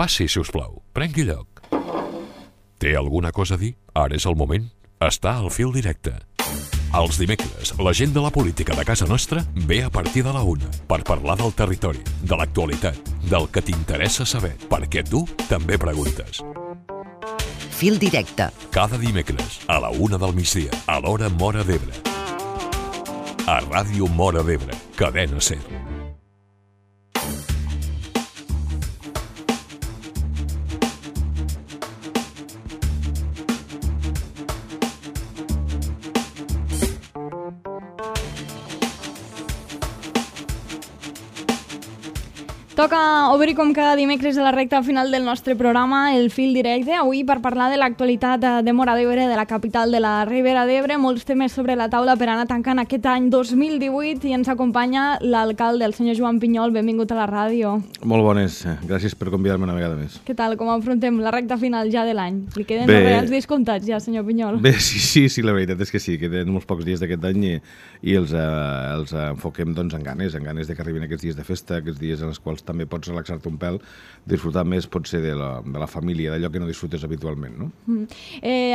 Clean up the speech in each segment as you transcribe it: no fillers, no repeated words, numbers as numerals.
Passi, si us plau. Prengui lloc. Té alguna cosa a dir? Ara és el moment. Està al fil directe. Els dimecres, la gent de la política de casa nostra ve a partir de la 1 per parlar del territori, de l'actualitat, del que t'interessa saber, perquè tu també preguntes. Fil directe. Cada dimecres, a la 1 del migdia, a l'hora Móra d'Ebre. A Ràdio Móra d'Ebre, Cadena SER. Toca obrir com cada dimecres a la recta final del nostre programa, el fil directe, avui per parlar de l'actualitat de Móra d'Ebre, de la capital de la Ribera d'Ebre, molts temes sobre la taula per anar tancant aquest any 2018 i ens acompanya l'alcalde, el senyor Joan Pinyol. Benvingut a la ràdio. Molt bones, gràcies per convidar-me una vegada més. Què tal, com afrontem la recta final ja de l'any? Li queden els reals dies comptats ja, senyor Pinyol? Bé, sí, la veritat és que sí, queden molts pocs dies d'aquest any i els enfoquem doncs, en ganes de que arribin aquests dies de festa, aquests dies en els quals també pots relaxar-te un pèl, disfrutar més potser de la família, d'allò que no disfrutes habitualment, no?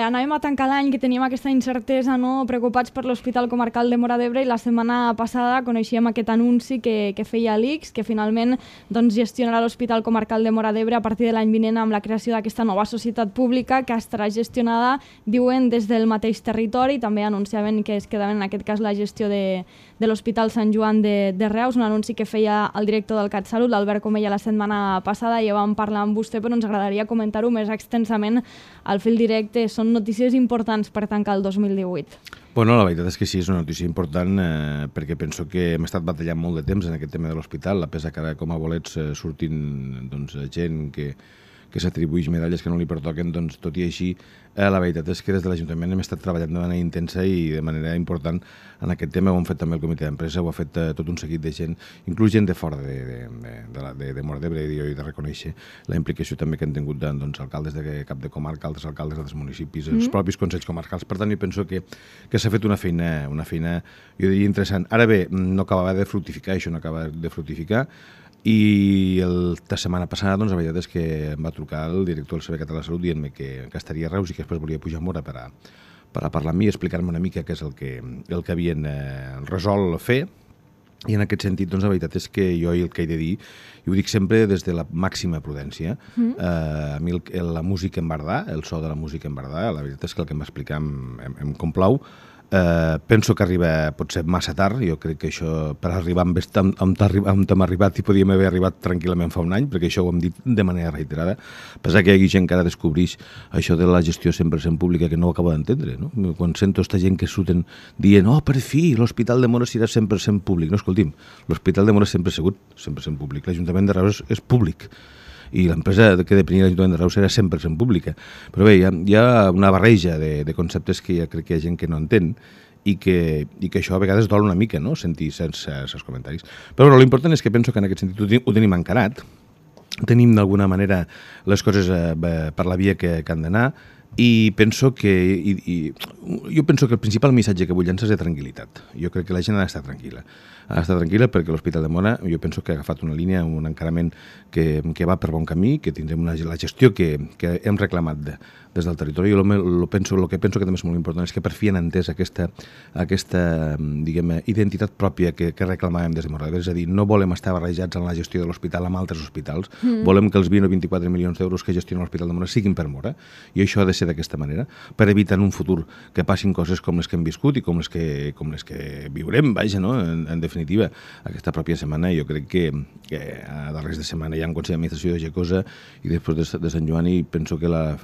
Anàvem a tancar l'any que teníem aquesta incertesa, no? Preocupats per l'Hospital Comarcal de Móra d'Ebre, i la setmana passada coneixíem aquest anunci que feia l'ICS, que finalment doncs, gestionarà l'Hospital Comarcal de Móra d'Ebre a partir de l'any vinent amb la creació d'aquesta nova societat pública que estarà gestionada, diuen, des del mateix territori. També anunciaven que es quedaven en aquest cas la gestió de l'Hospital Sant Joan de Reus, un anunci que feia el director del CatSalut, l'Albert Comella, la setmana passada. Ja vam parlar amb vostè, però ens agradaria comentar-ho més extensament al fil directe. Són notícies importants per tancar el 2018. Bueno, la veritat és que sí, és una notícia important perquè penso que hem estat batallant molt de temps en aquest tema de l'hospital, a pesar que ara com a bolets surtin doncs, gent que s'atribueix medalles que no li pertoquen, doncs tot i així la veritat és que des de l'Ajuntament hem estat treballant de manera intensa i de manera important en aquest tema. Ho han fet també el comitè d'empresa, ho ha fet tot un seguit de gent, inclús gent de fora de Móra d'Ebre, i jo he de reconèixer la implicació també que han tingut doncs, alcaldes de cap de comarca, altres alcaldes dels municipis, els propis consells comarcals. Per tant, jo penso que s'ha fet una feina, jo diria, interessant. Ara bé, no acabava de fructificar, això no acaba de fructificar, i la setmana passada doncs, la veritat és que em va trucar el director del Servei Català de Salut dient-me que estaria a Reus i que després volia pujar a Móra per a parlar amb mi i explicar-me una mica què és el que havien resolt fer. I en aquest sentit, doncs, la veritat és que jo el que he de dir, i ho dic sempre des de la màxima prudència, a mi la música en bardà, el so de la música en bardà, la veritat és que el que em va explicar em complau. Penso que arriba potser massa tard. Jo crec que això per arribar on hem arribat i podíem haver arribat tranquil·lament fa un any, perquè això ho hem dit de manera reiterada. Pensar que hi hagi gent que ara descobreix això de la gestió 100% pública que no ho acabo d'entendre, no? Quan sento aquesta gent que surten dient per fi, l'Hospital de Móra serà 100% públic. No, escolti'm, l'Hospital de Móra sempre ha sigut 100% públic. L'Ajuntament de Reus és públic i l'empresa que depenia de l'Ajuntament de Reus era 100% pública. Però bé, hi ha una barreja de conceptes que ja crec que hi ha gent que no entén i que això a vegades dol una mica, no?, sentir certs comentaris. Però bueno, l'important és que penso que en aquest sentit ho tenim encarat, tenim d'alguna manera les coses per la via que han d'anar, i penso que el principal missatge que vull llançar és de tranquil·litat. Jo crec que la gent ha d'estar tranquil·la. Ha d'estar tranquil·la perquè l'Hospital de Móra jo penso que ha agafat una línia, un encarament que va per bon camí, que tindrem la gestió que hem reclamat des del territori. Jo el que penso que també és molt important és que per fi han entès aquesta diguem, identitat pròpia que reclamàvem des de Móra d'Ebre. És a dir, no volem estar barrejats en la gestió de l'hospital amb altres hospitals. Volem que els 20 o 24 milions d'euros que gestiona l'Hospital de Móra siguin per Móra, i això ha de ser d'aquesta manera, per evitar en un futur que passin coses com les que hem viscut i com les que viurem, vaja, no? En definitiva, aquesta pròpia setmana jo crec que a darrers de setmana hi ha un Consell d'Administració de Gecosa i després de Sant Joan, i penso que la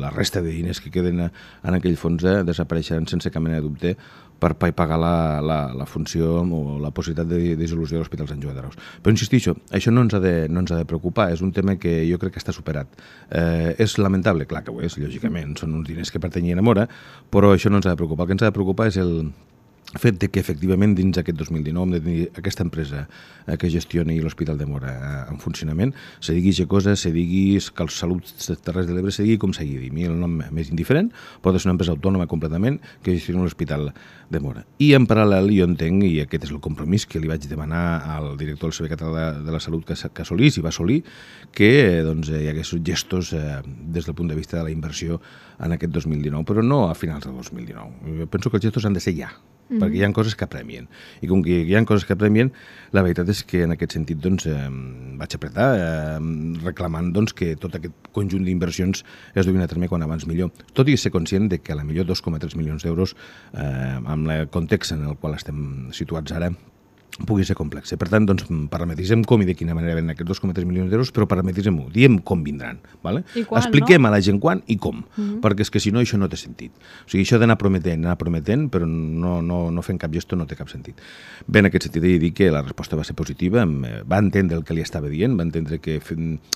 resta de diners que queden en aquell fons desapareixeran sense cap mena de dubte per pagar la funció o la possibilitat de dissolució de l'Hospital Sant Joan de Reus. Però insistixo, això no ens ha de preocupar, és un tema que jo crec que està superat. És lamentable, clar que ho és, lògicament, són uns diners que pertanyien a Móra, però això no ens ha de preocupar. El que ens ha de preocupar és fet que efectivament dins aquest 2019 hem de tenir aquesta empresa que gestioni l'Hospital de Móra en funcionament, se digui Gecosa, se digui que el Salut Terres de l'Ebre, se digui com s'hagi dit, el nom més indiferent, pot ser una empresa autònoma completament que gestioni l'Hospital de Móra. I en paral·lel jo entenc, i aquest és el compromís que li vaig demanar al director del Servei Català de la Salut que assolís, i va assolir, que doncs, hi hagués gestos des del punt de vista de la inversió en aquest 2019, però no a finals del 2019. Jo penso que els gestos han de ser ja, perquè hi ha coses que apremien. I com que hi ha coses que apremien, la veritat és que en aquest sentit doncs, vaig apretar reclamant doncs, que tot aquest conjunt d'inversions es duguin a terme quan abans millor. Tot i ser conscient de que a la millor 2,3 milions d'euros, amb el context en el qual estem situats ara, pugui ser complex. Per tant, doncs, parametritzem-ho i de quina manera venen aquests 2,3 milions d'euros, però parametritzem-ho, diem com vindran. Vale? I quan, expliquem a la gent quan i com, perquè és que si no això no té sentit. O sigui, això d'anar prometent, però no fent cap gesto no té cap sentit. Bé, en aquest sentit, he de dir que la resposta va ser positiva, va entendre el que li estava dient, va entendre que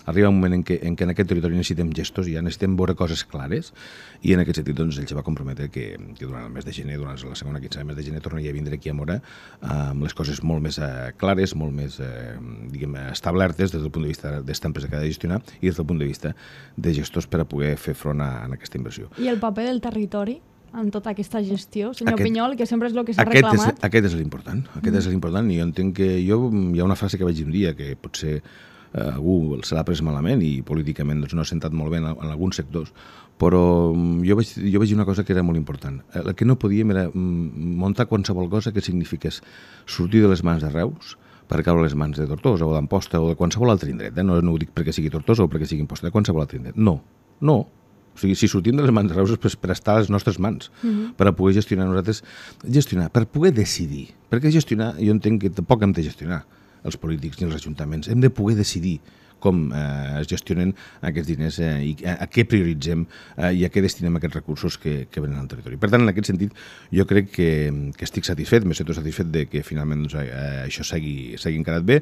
arriba un moment en què en aquest territori necessitem gestos, ja necessitem veure coses clares, i en aquest sentit doncs, ell se va comprometre que durant el mes de gener, durant la segona quinzena del mes de gener, tornaria a vindre aquí a Móra amb les coses molt més clares, molt més establertes des del punt de vista d'esta empresa que ha de gestionar i des del punt de vista de gestors per a poder fer front a aquesta inversió. I el paper del territori en tota aquesta gestió, senyor Pinyol, que sempre és el que s'ha reclamat? Aquest és l'important, és l'important, i jo entenc que hi ha una frase que vaig dir un dia que potser algú se l'ha pres malament i políticament doncs, no ha sentat molt bé en alguns sectors, però jo vaig dir una cosa que era molt important. El que no podíem era muntar qualsevol cosa que signifiqués sortir de les mans de Reus per caure a les mans de Tortosa o d'Amposta o de qualsevol altre indret. No ho dic perquè sigui Tortosa o perquè sigui Amposta, de qualsevol altre indret. No. O sigui, si sortim de les mans de Reus és per estar a les nostres mans, per a poder gestionar nosaltres, per poder decidir. Perquè gestionar, jo entenc que tampoc hem de gestionar els polítics ni els ajuntaments, hem de poder decidir com es gestionen aquests diners i a què prioritzem i a què destinem aquests recursos que venen al territori. Per tant, en aquest sentit, jo crec que estic satisfet, me sento satisfet de que finalment doncs, això s'hagi encarat bé.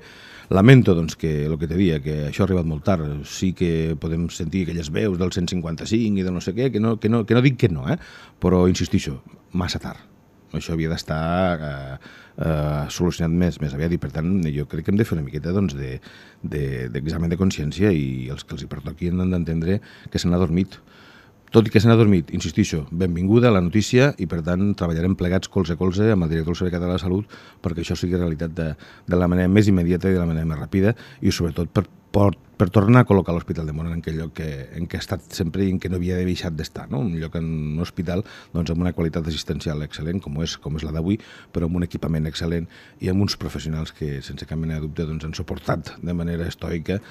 Lamento doncs, que el que te dia, que això ha arribat molt tard, sí que podem sentir aquelles veus del 155 i del no sé què, que no dic que no, però insistixo, massa tard. Això havia d'estar solucionat més aviat i per tant jo crec que hem de fer una miqueta doncs, d'examen de consciència i els que els hi pertoqui han d'entendre que se n'ha dormit. Tot i que se n'ha dormit, insistixo, benvinguda a la notícia i per tant treballarem plegats colze a colze amb el director del Servei Català de la Salut perquè això sigui realitat de la manera més immediata i de la manera més ràpida i sobretot per tornar a col·locar l'Hospital de Móra en aquell lloc en què ha estat sempre i en què no havia deixat d'estar, no? Un lloc en un hospital doncs, amb una qualitat assistencial excel·lent, com és la d'avui, però amb un equipament excel·lent i amb uns professionals que, sense cap mena de dubte, doncs, han suportat de manera estoica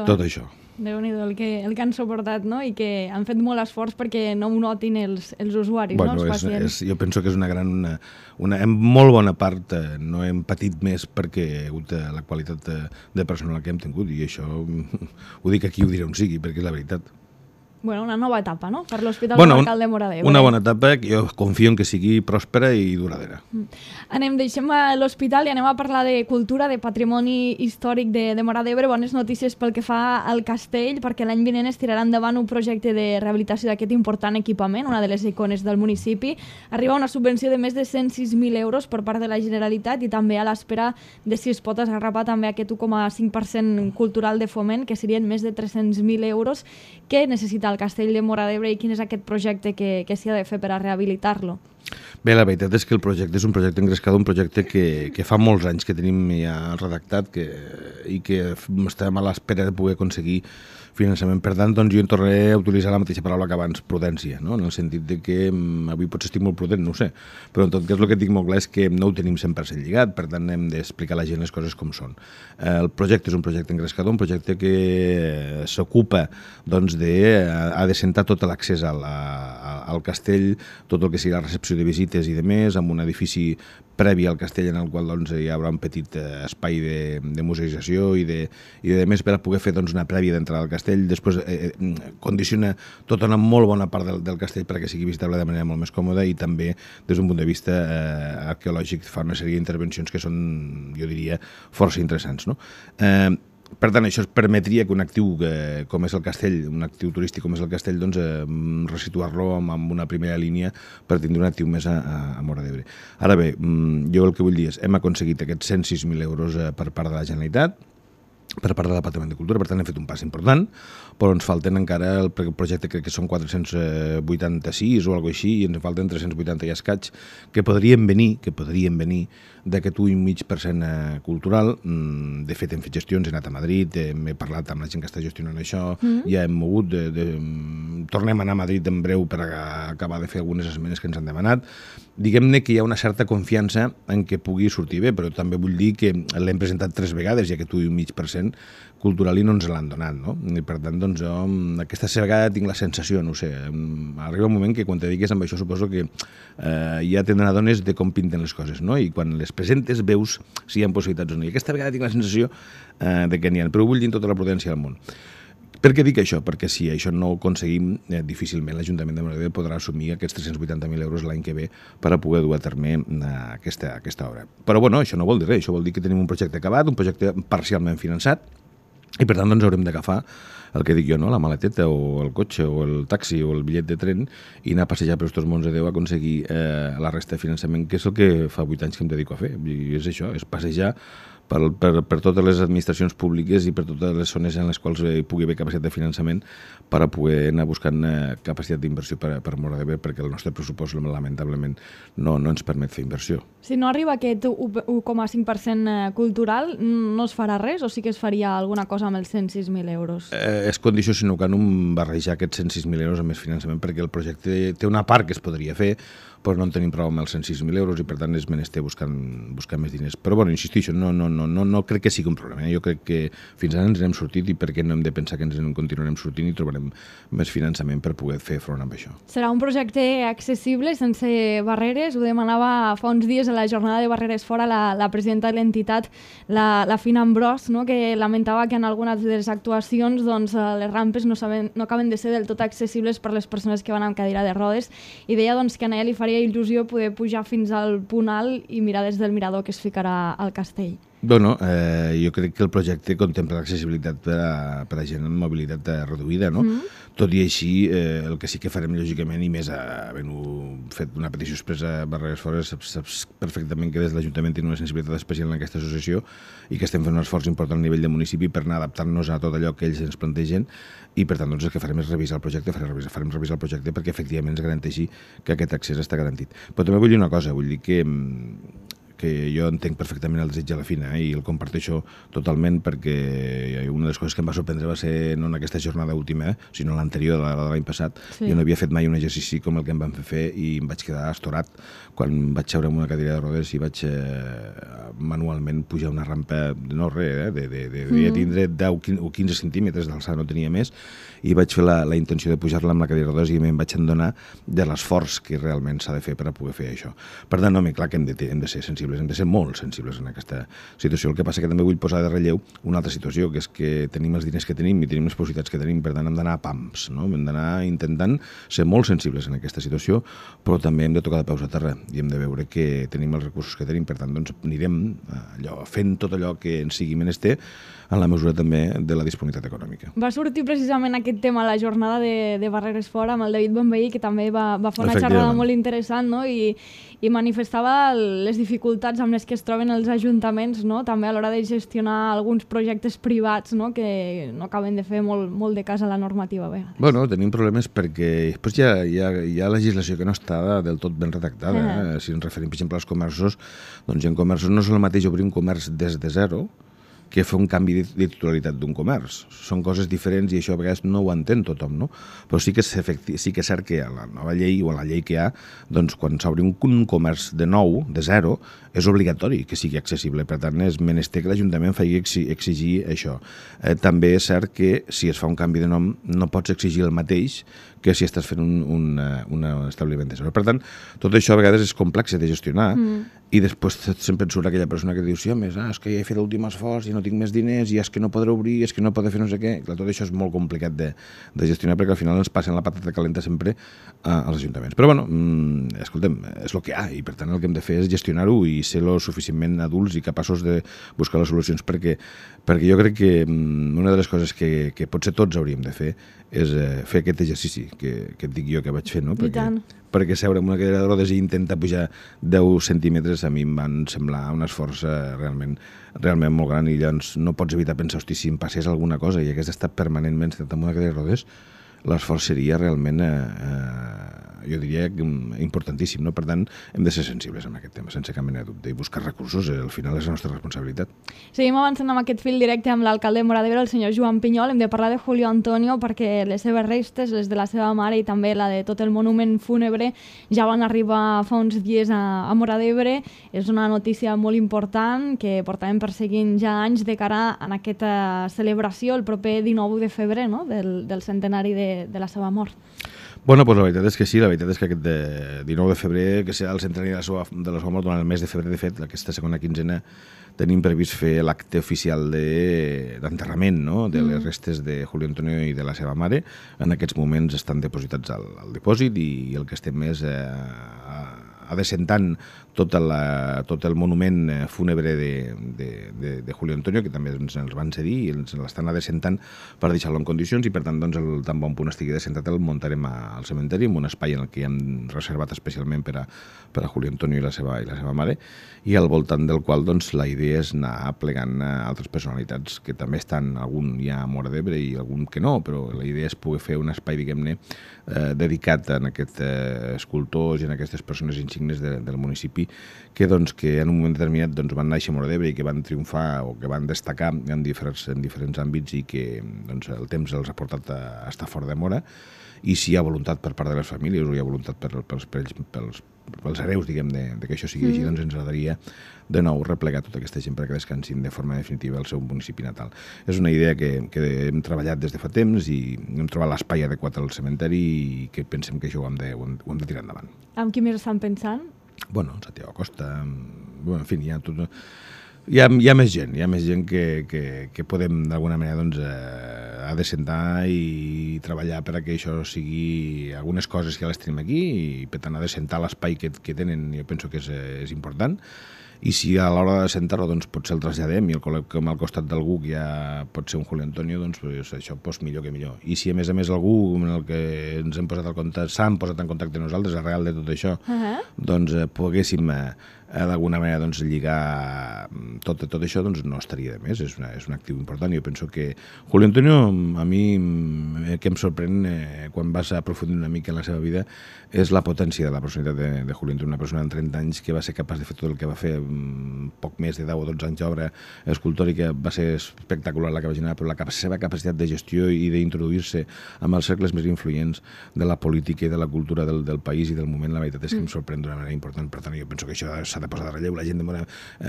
tot això. Déu-n'hi-do el que han suportat, no? I que han fet molt esforç perquè no ho notin els usuaris, bueno, no? Els pacients. Jo penso que és en molt bona part no hem patit més perquè hi ha hagut la qualitat de personal que hem tingut i això ho dic aquí, ho diré on sigui, perquè és la veritat. Bueno, una nova etapa, no?, per l'Hospital Comarcal de Móra d'Ebre. Una bona etapa que jo confio en que sigui pròspera i duradera. Deixem l'hospital i anem a parlar de cultura, de patrimoni històric de Móra d'Ebre. Bones notícies pel que fa al castell, perquè l'any vinent es tirarà endavant un projecte de rehabilitació d'aquest important equipament, una de les icones del municipi. Arriba una subvenció de més de 106.000 euros per part de la Generalitat i també a l'espera de si es pot esgarrapar també aquest 1,5% cultural de foment, que serien més de 300.000 euros. Què necessita el castell de Móra d'Ebre i quin és aquest projecte que s'hi ha de fer per a rehabilitar-lo? Bé, la veritat és que el projecte és un projecte engrescador, un projecte que fa molts anys que tenim ja redactat i que estem a l'espera de poder aconseguir finançament. Per tant, doncs, jo en tornaré a utilitzar la mateixa paraula que abans, prudència, no? En el sentit de que avui potser estic molt prudent, no ho sé, però en tot cas el que dic molt clar és que no ho tenim 100% lligat, per tant hem d'explicar a la gent les coses com són. El projecte és un projecte engrescador, un projecte que s'ocupa doncs, ha de sentar tot l'accés al castell, tot el que sigui la recepció de visites i de més, amb un edifici previ al castell en el qual doncs, hi haurà un petit espai de museïtzació i de més per a poder fer doncs, una prèvia d'entrada al castell. Després condiciona tota una molt bona part del castell perquè sigui visitable de manera molt més còmoda i també des d'un punt de vista arqueològic fa una sèrie d'intervencions que són, jo diria, força interessants. No? Per tant, això permetria que un actiu com és el castell, un actiu turístic com és el castell, doncs resituar-lo amb una primera línia per tindre un actiu més a Móra d'Ebre. Ara bé, jo el que vull dir és hem aconseguit aquests 106.000 euros per part de la Generalitat, per part del Departament de Cultura, per tant hem fet un pas important, però ens falten encara el projecte, crec que són 486 o alguna cosa així, i ens falten 380 i escaig, que podrien venir d'aquest 1,5% cultural. De fet, hem fet gestions, he anat a Madrid, he parlat amb la gent que està gestionant això, ja hem mogut, tornem a anar a Madrid en breu per acabar de fer algunes esmenes que ens han demanat. Diguem-ne que hi ha una certa confiança en què pugui sortir bé, però també vull dir que l'hem presentat 3 vegades i aquest 1,5% cultural i no ens l'han donat, no? I per tant, doncs jo aquesta vegada tinc la sensació, no ho sé, arriba un moment que quan te digues amb això suposo que ja te n'adones de com pinten les coses, no? I quan les presentes veus si hi ha possibilitats o no. I aquesta vegada tinc la sensació de que n'hi ha, però vull dir amb tota la prudència del món. Per què dic això? Perquè si això no ho aconseguim, difícilment l'Ajuntament de Móra d'Ebre podrà assumir aquests 380.000 euros l'any que ve per a poder dur a terme aquesta obra. Però bueno, això no vol dir res, això vol dir que tenim un projecte acabat, un projecte parcialment finançat, i per tant doncs haurem d'agafar el que dic jo, no? La maleteta o el cotxe o el taxi o el bitllet de tren i anar a passejar per estos mons de Déu a aconseguir la resta de finançament, que és el que fa 8 anys que em dedico a fer. I és això, és passejar per totes les administracions públiques i per totes les zones en les quals hi pugui haver capacitat de finançament per a poder anar buscant capacitat d'inversió per Móra d'Ebre, perquè el nostre pressupost lamentablement no ens permet fer inversió. Si no arriba aquest 1,5% cultural, no es farà res o sí que es faria alguna cosa amb els 106.000 euros? És condició sine qua non barrejar aquests 106.000 euros amb més finançament, perquè el projecte té una part que es podria fer, però no en tenim prou amb els 106.000 euros i per tant és menester buscar més diners. Però bueno, insistixo, no crec que sigui un problema. Jo crec que fins ara ens n'hem sortit i per què no hem de pensar que ens en continuarem sortint i trobarem més finançament per poder fer front amb això. Serà un projecte accessible, sense barreres. Ho demanava fa uns dies a la jornada de Barreres Fora la presidenta de l'entitat, la Fina Ambrós, no? Que lamentava que en algunes de les actuacions doncs, les rampes no acaben de ser del tot accessibles per les persones que van amb cadira de rodes i deia doncs, que a ella li faria il·lusió poder pujar fins al punt alt i mirar des del mirador que es ficarà al castell. Bueno, jo crec que el projecte contempla l'accessibilitat per a gent amb mobilitat reduïda, no? Tot i així, el que sí que farem, lògicament, i més havent-ho fet una petició expressa a Barreres Fora, saps perfectament que des de l'Ajuntament tenim una sensibilitat especial en aquesta associació i que estem fent un esforç important a nivell de municipi per anar adaptant-nos a tot allò que ells ens plantegen i, per tant, doncs, el que farem és revisar el projecte, farem revisar el projecte perquè efectivament ens garanteixi que aquest accés està garantit. Però també vull dir una cosa, vull dir que jo entenc perfectament el desig de la Fina i el comparteixo totalment perquè una de les coses que em va sorprendre va ser no en aquesta jornada última, sinó l'anterior de l'any passat. Sí. Jo no havia fet mai un exercici com el que em van fer i em vaig quedar estorat quan vaig seure en una cadira de rodes i vaig manualment pujar una rampa, no res, devia tindre 10 o 15 centímetres d'alçada, no tenia més, i vaig fer la intenció de pujar-la amb la cadira de rodes i em vaig adonar de l'esforç que realment s'ha de fer per a poder fer això. Per tant, home, clar que hem de ser sensibles, hem de ser molt sensibles en aquesta situació. El que passa que també vull posar de relleu una altra situació, que és que tenim els diners que tenim i tenim les possibilitats que tenim, per tant hem d'anar a pams, no? Hem d'anar intentant ser molt sensibles en aquesta situació, però també hem de tocar de peus a terra i hem de veure que tenim els recursos que tenim, per tant doncs anirem fent tot allò que ens sigui menester en la mesura també de la disponibilitat econòmica. Va sortir precisament aquest tema a la jornada de Barreres Fora amb el David Bonveí, que també va fer una xerrada molt interessant, no? I manifestava les dificultats amb les que es troben els ajuntaments, no? També a l'hora de gestionar alguns projectes privats, no? Que no acaben de fer molt de cas a la normativa a vegades. Bueno, tenim problemes perquè després hi ha legislació que no està del tot ben redactada. Si ens referim, per exemple, als comerços, doncs en comerços no és el mateix obrir un comerç des de zero que fer un canvi de titularitat d'un comerç. Són coses diferents i això a vegades no ho entén tothom, no? Però sí que és cert que a la nova llei o a la llei que hi ha, doncs quan s'obri un comerç de nou, de zero, és obligatori que sigui accessible. Per tant, és menester que l'Ajuntament faci exigir això. També és cert que si es fa un canvi de nom no pots exigir el mateix que si estàs fent un establiment de zero. Per tant, tot això a vegades és complex de gestionar i després sempre et surt aquella persona que diu sí, home, és que ja he fet l'últim esforç i no no tinc més diners, i és que no podré obrir, és que no podré fer no sé què. Clar, tot això és molt complicat de gestionar, perquè al final ens passen la patata calenta sempre als ajuntaments. Però bueno, escoltem, és el que hi ha, i per tant el que hem de fer és gestionar-ho i ser lo suficientment adults i capaços de buscar les solucions, perquè jo crec que una de les coses que potser tots hauríem de fer és fer aquest exercici que et dic jo que vaig fer, no? Perquè seure en una cadira de rodes i intentar pujar 10 centímetres a mi em van semblar un esforç realment molt gran, i llavors no pots evitar pensar, hosti, si em passés alguna cosa i hagués d'estar permanentment sentat en una cadira de rodes, l'esforç seria realment, jo diria, importantíssim, no? Per tant, hem de ser sensibles en aquest tema, sense cap mena de dubte, i buscar recursos, al final és la nostra responsabilitat. Seguim avançant amb aquest fil directe amb l'alcalde de Móra d'Ebre, el senyor Joan Pinyol. Hem de parlar de Julio Antonio perquè les seves restes, les de la seva mare i també la de tot el monument fúnebre, ja van arribar fa uns dies a Móra d'Ebre. És una notícia molt important que portàvem perseguint ja anys de cara a aquesta celebració el proper 19 de febrer, no? del centenari de la seva mort. Bueno, doncs la veritat és que sí, la veritat és que aquest 19 de febrer, que serà el centenari de la seva mort, durant el mes de febrer, de fet, aquesta segona quinzena, tenim previst fer l'acte oficial d'enterrament, no?, de les restes de Julio Antonio i de la seva mare. En aquests moments estan depositats al dipòsit i el que estem és adescentant tot el monument fúnebre de Julio Antonio, que també ens els van cedir i ens l'estan adescentant per deixar-lo en condicions, i per tant, doncs, tan bon punt estigui adescentat el muntarem al cementeri, en un espai en el que hem reservat especialment per a Julio Antonio i la seva mare, i al voltant del qual, doncs, la idea és anar plegant altres personalitats que també estan, algun ja a Móra d'Ebre i algun que no, però la idea és poder fer un espai, diguem-ne, dedicat a aquests escultors i a aquestes persones insignes del municipi que en un moment determinat van néixer a Móra d'Ebre i que van triomfar o que van destacar en diferents àmbits i que el temps els ha portat a estar fora de Móra. I si hi ha voluntat per part de les famílies o hi ha voluntat pels hereus, diguem, de que això sigui així, doncs ens agradaria de nou replegar tota aquesta gent perquè descansin de forma definitiva al seu municipi natal. És una idea que hem treballat des de fa temps i hem trobat l'espai adequat al cementeri i que pensem que això ho hem de tirar endavant. Amb qui més estan pensant? Bueno, Santiago Costa, en fi, hi ha tot... Hi ha més gent que podem d'alguna manera adescentar i treballar per a que això sigui algunes coses que ja les tenim aquí i per tant adescentar l'espai que tenen jo penso que és important. I si a l'hora de sentar-lo potser el traslladem i el col·loquem al costat d'algú que ja pot ser un Julio Antonio, doncs això millor que millor. I si a més algú amb el que ens hem posat s'han posat en contacte nosaltres arrel de tot això, doncs poguéssim d'alguna manera lligar tot això, doncs no estaria de més, és un actiu important. Jo penso que Julio Antonio, a mi que em sorprèn quan vas aprofundir una mica en la seva vida, és la potència de la personalitat de Julio Antonio, una persona de 30 anys que va ser capaç de fer tot el que va fer, poc més de 10 o 12 anys d'obra escultòrica, va ser espectacular la que va generar, però la seva capacitat de gestió i d'introduir-se amb els cercles més influents de la política i de la cultura del país i del moment, la veritat és que em sorprèn d'una manera important. Per tant, jo penso que això s'ha de posar de relleu. La gent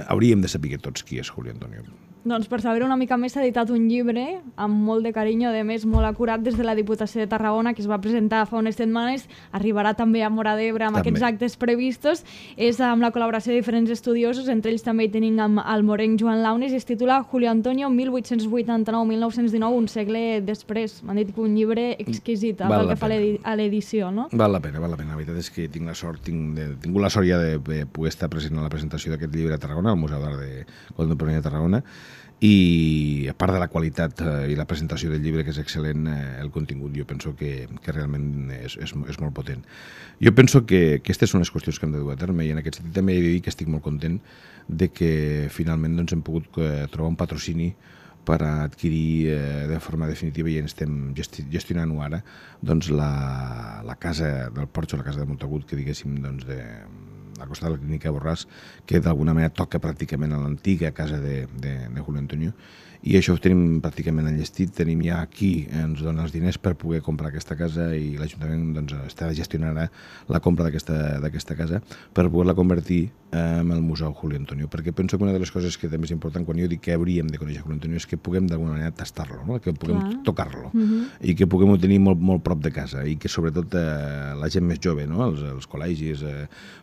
hauríem de saber tots qui és Julio Antonio. Doncs per saber una mica més s'ha editat un llibre amb molt de carinyo, a més molt acurat des de la Diputació de Tarragona, que es va presentar fa unes setmanes, arribarà també a Móra d'Ebre amb aquests actes previstos. És amb la col·laboració de diferents estudiosos, entre ells també hi tenim el morenc Joan Launes, i es titula Julio Antonio 1889-1919, un segle després. M'han dit que un llibre exquisit pel que fa a l'edició, no? Val la pena. La veritat és que tinc la sort ja de poder estar present a la presentació d'aquest llibre a Tarragona, al Museu d'Art Contemporani de Tarragona, i a part de la qualitat i la presentació del llibre, que és excel·lent, el contingut jo penso que realment és molt potent. Jo penso que aquestes són les qüestions que hem de dur a terme, i en aquest sentit també he de dir que estic molt content de que finalment hem pogut trobar un patrocini per adquirir de forma definitiva, i estem gestionant-ho ara, la casa del Porxo, la casa de Montagut, que diguéssim, al costat de la clínica Borràs, que d'alguna manera toca pràcticament a l'antiga casa de Julio Antonio, i això ho tenim pràcticament enllestit. Tenim ja aquí, ens dona els diners per poder comprar aquesta casa, i l'Ajuntament està gestionant la compra d'aquesta casa per poder-la convertir amb el Museu Julio Antonio, perquè penso que una de les coses que també és important quan jo dic que hauríem de conèixer Julio Antonio és que puguem d'alguna manera tastar-lo, no? Que puguem tocar-lo i que puguem tenir molt prop de casa i que sobretot la gent més jove, no? Els col·legis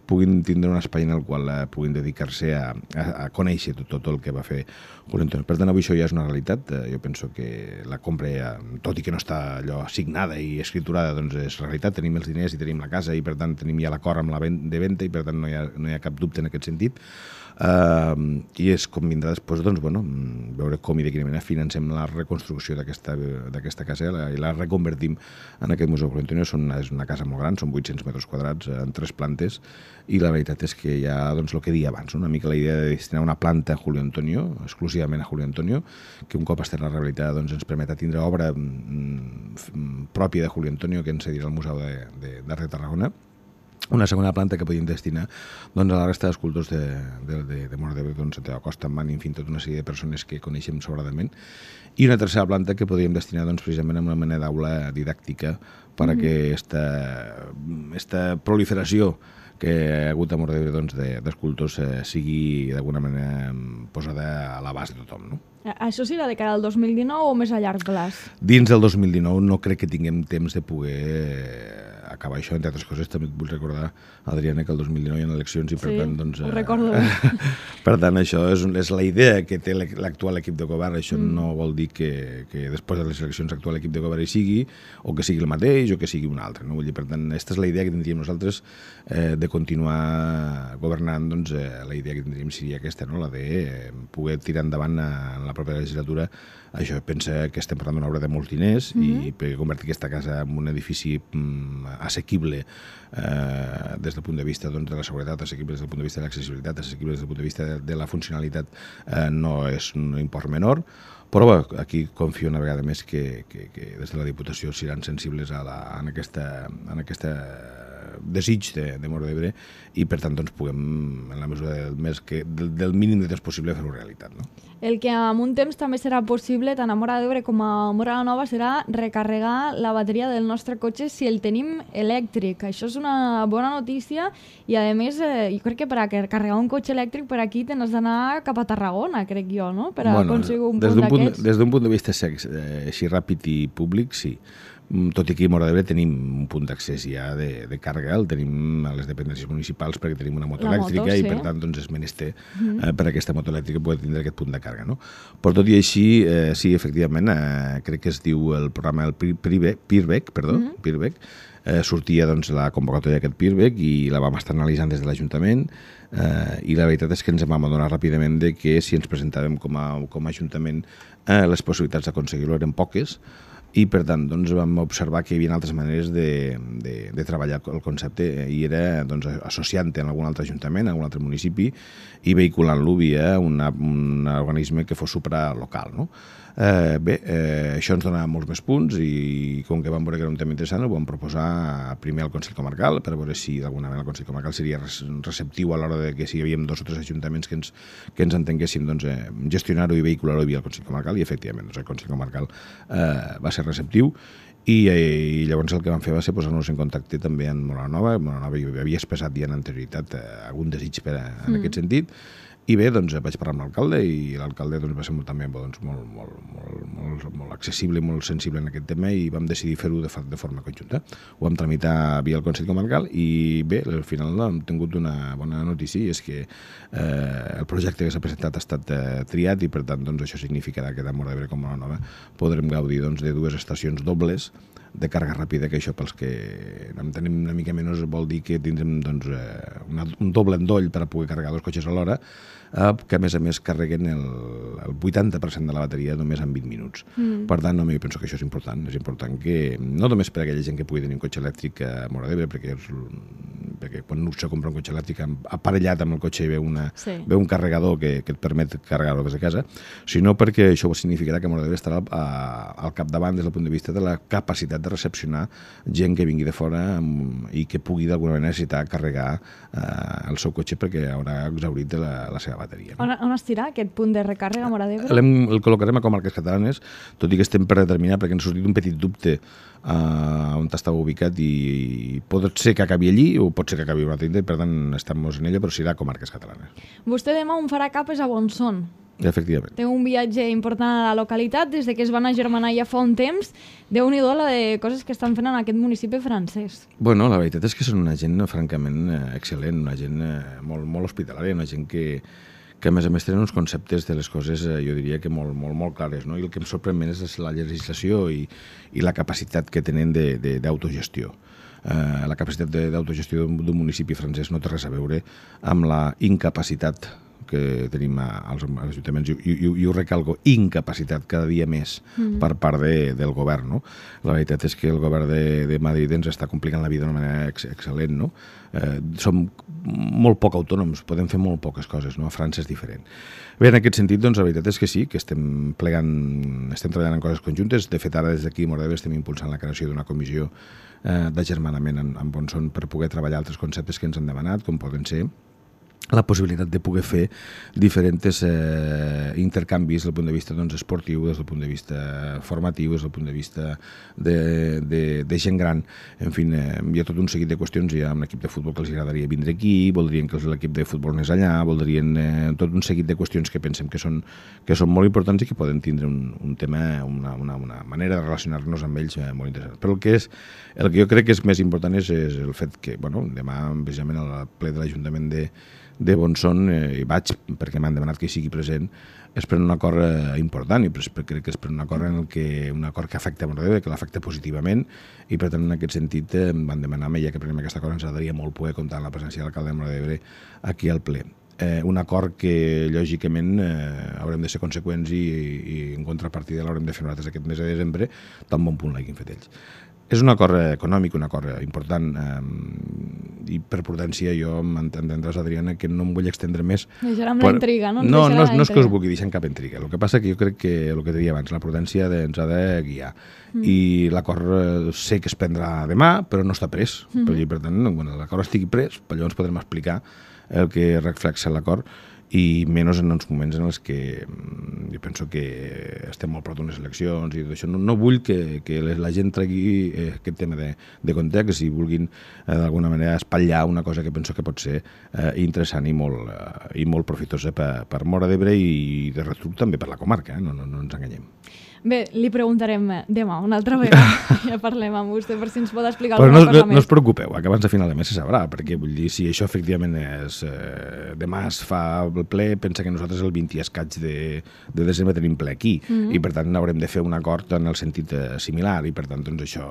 puguin tindre un espai en el qual puguin dedicar-se a conèixer tot el que va fer Julio Antonio. Per tant, avui això ja és una realitat. Jo penso que la compra, tot i que no està allò assignada i escriturada, doncs és realitat. Tenim els diners i tenim la casa i per tant tenim ja l'acord amb la de venda i per tant no hi ha cap dubte en aquest sentit. I és com vindrà després, doncs, bueno, veure com i de quina manera financem la reconstrucció d'aquesta casa i la reconvertim en aquest Museu Julio Antonio. És una casa molt gran, són 800 metres quadrats en 3 plantes i la veritat és que hi ha, doncs, el que deia abans, una mica la idea de destinar una planta a Julio Antonio, exclusivament a Julio Antonio, que un cop estarà rehabilitada doncs, ens permetrà tindre obra pròpia de Julio Antonio que ens cedirà al Museu d'Art de Tarragona. Una segona planta que podíem destinar doncs, a la resta d'escultors de Móra d'Ebre, doncs, Santiago Costa, Manning, en fi, tota una sèrie de persones que coneixem sobradament. I una tercera planta que podíem destinar doncs, precisament a una mena d'aula didàctica per a que aquesta proliferació que ha hagut a Móra d'Ebre doncs, d'escultors sigui d'alguna manera posada a l'abast de tothom, no? Això serà de cara al 2019 o més a llarg plaç? Dins del 2019 no crec que tinguem temps de poder acabar això, entre altres coses. També et vull recordar, Adriana, que el 2019 hi ha eleccions i per tant... doncs, ho recordo. Per tant, això és la idea que té l'actual equip de govern. Això no vol dir que després de les eleccions l'actual equip de govern hi sigui, o que sigui el mateix, o que sigui un altre. No? Vull dir, per tant, aquesta és la idea que tindríem nosaltres de continuar governant. Doncs, la idea que tindríem seria aquesta, no? La de poder tirar endavant en la propera legislatura. Això pensa que estem parlant d'una obra de molts diners i per convertir aquesta casa en un edifici assequible des del punt de vista doncs, de la seguretat, assequible des del punt de vista de l'accessibilitat, assequible des del punt de vista de la funcionalitat, no és un import menor, però bé, aquí confio una vegada més que des de la Diputació seran sensibles en aquesta desig de Móra d'Ebre i per tant doncs, puguem, en la mesura del mínim de temps possible, fer-ho realitat. No? El que en un temps també serà possible, tant a Móra d'Ebre com a Móra la Nova, serà recarregar la bateria del nostre cotxe si el tenim elèctric. Això és una bona notícia i, a més, jo crec que per a carregar un cotxe elèctric per aquí tens d'anar cap a Tarragona, crec jo, no? Per a aconseguir un punt d'aquests. Des d'un punt de vista així ràpid i públic, sí. Tot i que a Móra d'Ebre tenim un punt d'accés ja de càrrega, el tenim a les dependències municipals perquè tenim una moto elèctrica i per tant doncs, és menester per a aquesta moto elèctrica poder tindre aquest punt de càrrega. No? Però tot i així, sí, efectivament, crec que es diu el programa el PIRBEC, sortia doncs, la convocatòria d'aquest PIRBEC i la vam estar analitzant des de l'Ajuntament i la veritat és que ens vam adonar ràpidament de que si ens presentàvem com a Ajuntament les possibilitats d'aconseguir-ho eren poques i per tant doncs, vam observar que hi havia altres maneres de treballar el concepte i era doncs, associant-te en algun altre ajuntament, en algun altre municipi i vehiculant-lo via un organisme que fos supralocal. No? Això ens donava molts més punts i com que vam veure que era un tema interessant ho vam proposar primer al Consell Comarcal per veure si d'alguna manera el Consell Comarcal seria receptiu a l'hora de que si hi havia 2 o 3 ajuntaments que ens entenguéssim doncs, gestionar-ho i vehicular-ho via el Consell Comarcal i efectivament doncs, el Consell Comarcal va ser receptiu i llavors el que vam fer va ser posar-nos en contacte també amb Móra la Nova. Móra la Nova jo havia expressat ja en anterioritat algun desig en aquest sentit i bé, doncs vaig parlar amb l'alcalde i l'alcalde doncs, va ser també doncs, molt accessible i molt sensible en aquest tema i vam decidir fer-ho de forma conjunta. Ho vam tramitar via el Consell Comarcal i bé, al final hem tingut una bona notícia i és que el projecte que s'ha presentat ha estat triat i per tant doncs, això significarà que de Móra d'Ebre com a Móra la Nova podrem gaudir doncs, de 2 estacions dobles de càrrega ràpida, que això pels que en tenim una mica menys vol dir que tindrem doncs, un doble endoll per a poder carregar 2 cotxes alhora, que a més carreguen el 80% de la bateria només en 20 minuts. Per tant, jo penso que això és important que no només per a aquella gent que pugui tenir un cotxe elèctric a Móra d'Ebre, perquè quan se compra un cotxe elèctric aparellat amb el cotxe ve un carregador que et permet carregar-ho des de casa, sinó perquè això significarà que Móra d'Ebre estarà al capdavant des del punt de vista de la capacitat de recepcionar gent que vingui de fora i que pugui d'alguna manera necessitar carregar el seu cotxe perquè haurà exhaurit de la seva bateria. No? On estirà aquest punt de recàrrega a Móra d'Ebre? El col·locarem a comarques catalanes, tot i que estem per determinar perquè ens ha sortit un petit dubte on estava ubicat i pot ser que acabi allí o pot ser que acabi a un altre indret, per tant estem en ella, però serà comarques catalanes. Vostè demà on farà capes a Bonson. Efectivament. Té un viatge important a la localitat des de que es van agermanar ja fa un temps. Déu-n'hi-do la de coses que estan fent en aquest municipi francès. Bueno, la veritat és que són una gent francament excel·lent, una gent molt hospitalària, una gent que a més tenen uns conceptes de les coses, jo diria que molt clares, no? I el que em sorprèn més és la legislació i la capacitat que tenen d'autogestió. La capacitat d'autogestió d'un municipi francès no té res a veure amb la incapacitat que tenim als ajuntaments, i ho recalco, incapacitat cada dia més per part del govern, no? La veritat és que el govern de Madrid ens està complicant la vida d'una manera excel·lent, no? Som molt poc autònoms, podem fer molt poques coses, no? A França és diferent. Bé, en aquest sentit, doncs, la veritat és que sí, que estem treballant en coses conjuntes. De fet, ara des d'aquí a Móra d'Ebre estem impulsant la creació d'una comissió d'agermanament en Bonson per poder treballar altres conceptes que ens han demanat, com poden ser la possibilitat de poder fer diferents intercanvis des del punt de vista esportiu, des del punt de vista formatiu, des del punt de vista de gent gran. En fi, hi ha tot un seguit de qüestions. Hi ha un equip de futbol que els agradaria vindre aquí, voldrien que l'equip de futbol anés allà, voldrien tot un seguit de qüestions que pensem que són molt importants i que poden tindre un tema, una manera de relacionar-nos amb ells molt interessant. Però el que jo crec que és més important és el fet que, demà, precisament, al ple de l'Ajuntament de Bonson, hi vaig perquè m'han demanat que hi sigui present, es pren un acord important i crec que es pren un acord que afecta a Móra d'Ebre, que l'afecta positivament, i per tant en aquest sentit em van demanar, ja que prenem aquest acord, ens agradaria molt poder comptar amb la presència de l'alcalde de Móra d'Ebre aquí al ple. Un acord que lògicament haurem de ser conseqüents i en contrapartida l'haurem de fer nosaltres aquest mes de desembre, tan bon punt l'hagin fet ells. És un acord econòmic, un acord important, i per prudència jo m'entendràs, Adriana, que no em vull extendre més. Deixarem la intriga, no? No és que us vulgui deixar en cap intriga. El que passa que jo crec que el que deia abans, la prudència ens ha de guiar. I l'acord sé que es prendrà demà, però no està pres. Per tant, quan l'acord estigui pres, llavors podrem explicar el que reflexa l'acord, i menys en uns moments en els que jo penso que estem molt prop d'unes eleccions i tot això. No vull que la gent tregui aquest tema de context i vulguin d'alguna manera espatllar una cosa que penso que pot ser interessant i molt profitosa per Móra d'Ebre i de retruc també per la comarca, no ens enganyem. Bé, li preguntarem demà una altra vegada. Ja parlem amb vostè per si ens pot explicar alguna cosa més. No us preocupeu, que abans de final de mes se sabrà, perquè vull dir, si això efectivament és demà es fa el ple, pensa que nosaltres el 20 i escaig de desembre tenim ple aquí, i per tant haurem de fer un acord en el sentit similar, i per tant doncs això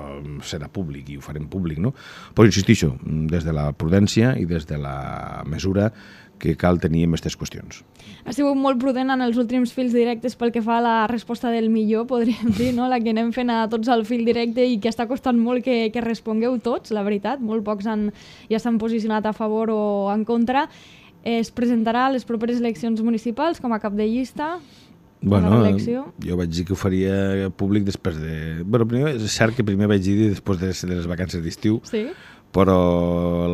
serà públic i ho farem públic, no? Però insistixo, des de la prudència i des de la mesura que cal tenir en aquestes qüestions. Ha sigut molt prudent en els últims fils directes pel que fa a la resposta del millor, podríem dir, no? La que anem fent a tots al fil directe i que està costant molt que respongueu tots, la veritat. Molt pocs ja s'han posicionat a favor o en contra. Es presentarà a les properes eleccions municipals com a cap de llista. Jo vaig dir que ho faria públic després de... Primer, és cert que primer vaig dir després de les vacances d'estiu, sí, però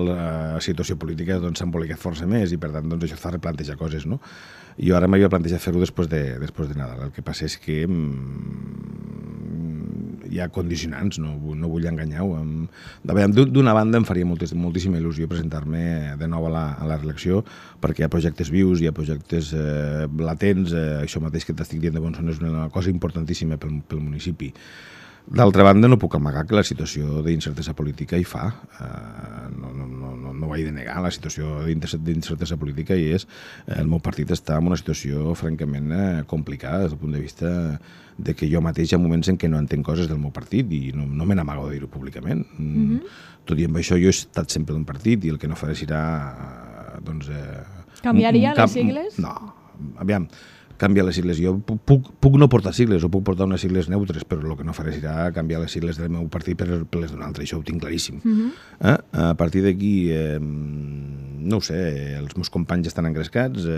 la situació política s'ha embolicat força més i per tant això fa replantejar coses, no? Jo ara m'havia plantejat fer-ho després de Nadal. El que passa és que hi ha condicionants, no vull enganyar-ho. D'una banda em faria moltíssima il·lusió presentar-me de nou a la reelecció, perquè hi ha projectes vius, hi ha projectes latents, això mateix que t'estic dient de Bonson és una cosa importantíssima pel municipi. D'altra banda, no puc amagar que la situació d'incertesa política hi fa. No ho he de negar, la situació d'incertesa política hi és. El meu partit està en una situació francament complicada des del punt de vista de que jo mateix hi ha moments en què no entenc coses del meu partit i no me n'amago de dir-ho públicament. Tot i amb això jo he estat sempre d'un partit i el que no faré serà... Canviaria les sigles? No, aviam, canviar les sigles. Jo puc no portar sigles o puc portar unes sigles neutres, però el que no faré serà canviar les sigles del meu partit per les d'un altre, això ho tinc claríssim. A partir d'aquí, no ho sé, els meus companys estan engrescats,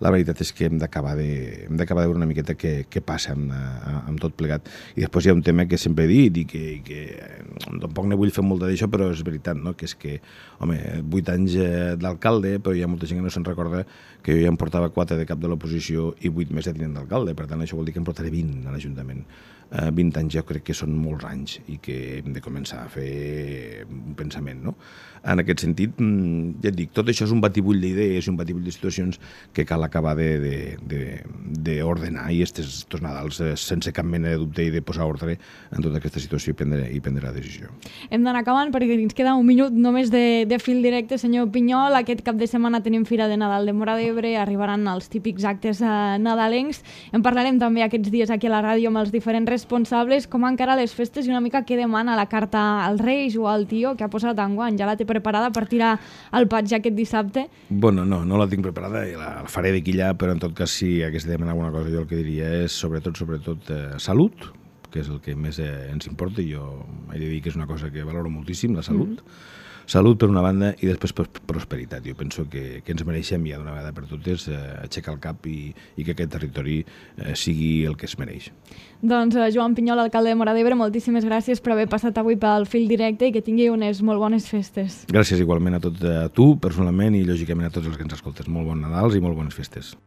la veritat és que hem d'acabar de veure una miqueta què passa amb tot plegat. I després hi ha un tema que sempre he dit i que tampoc ne vull fer molt d'això, però és veritat, no? Que és que, home, 8 anys d'alcalde, però hi ha molta gent que no se'n recorda que jo ja em portava 4 de cap de l'oposició i 8 més de tinent d'alcalde, per tant això vol dir que em portaré 20 a l'Ajuntament. 20 anys jo crec que són molts anys i que hem de començar a fer un pensament, no? En aquest sentit, ja et dic, tot això és un batibull d'idees i un batibull de situacions que cal acabar d'ordenar i estos Nadals sense cap mena de dubte i de posar ordre en tota aquesta situació i prendre la decisió. Hem d'anar acabant perquè ens queda un minut només de fil directe, senyor Pinyol. Aquest cap de setmana tenim Fira de Nadal de Móra d'Ebre, arribaran els típics actes nadalencs. En parlarem també aquests dies aquí a la ràdio amb els diferents responsables, com encara les festes i una mica què demana la carta als Reis o al tio que ha posat enguany. Ja la té preparada per tirar al patge aquest dissabte? Bueno, no la tinc preparada i la faré d'aquí allà, però en tot cas si hagués de demanar alguna cosa jo el que diria és sobretot salut, que és el que més ens importa i jo he de dir que és una cosa que valoro moltíssim, la salut. Salut per una banda i després prosperitat. Jo penso que ens mereixem ja d'una vegada per totes aixecar el cap i que aquest territori sigui el que es mereix. Doncs Joan Pinyol, alcalde de Móra d'Ebre, moltíssimes gràcies per haver passat avui pel fil directe i que tingui unes molt bones festes. Gràcies igualment a tu personalment i lògicament a tots els que ens escoltes. Molt bon Nadals i molt bones festes.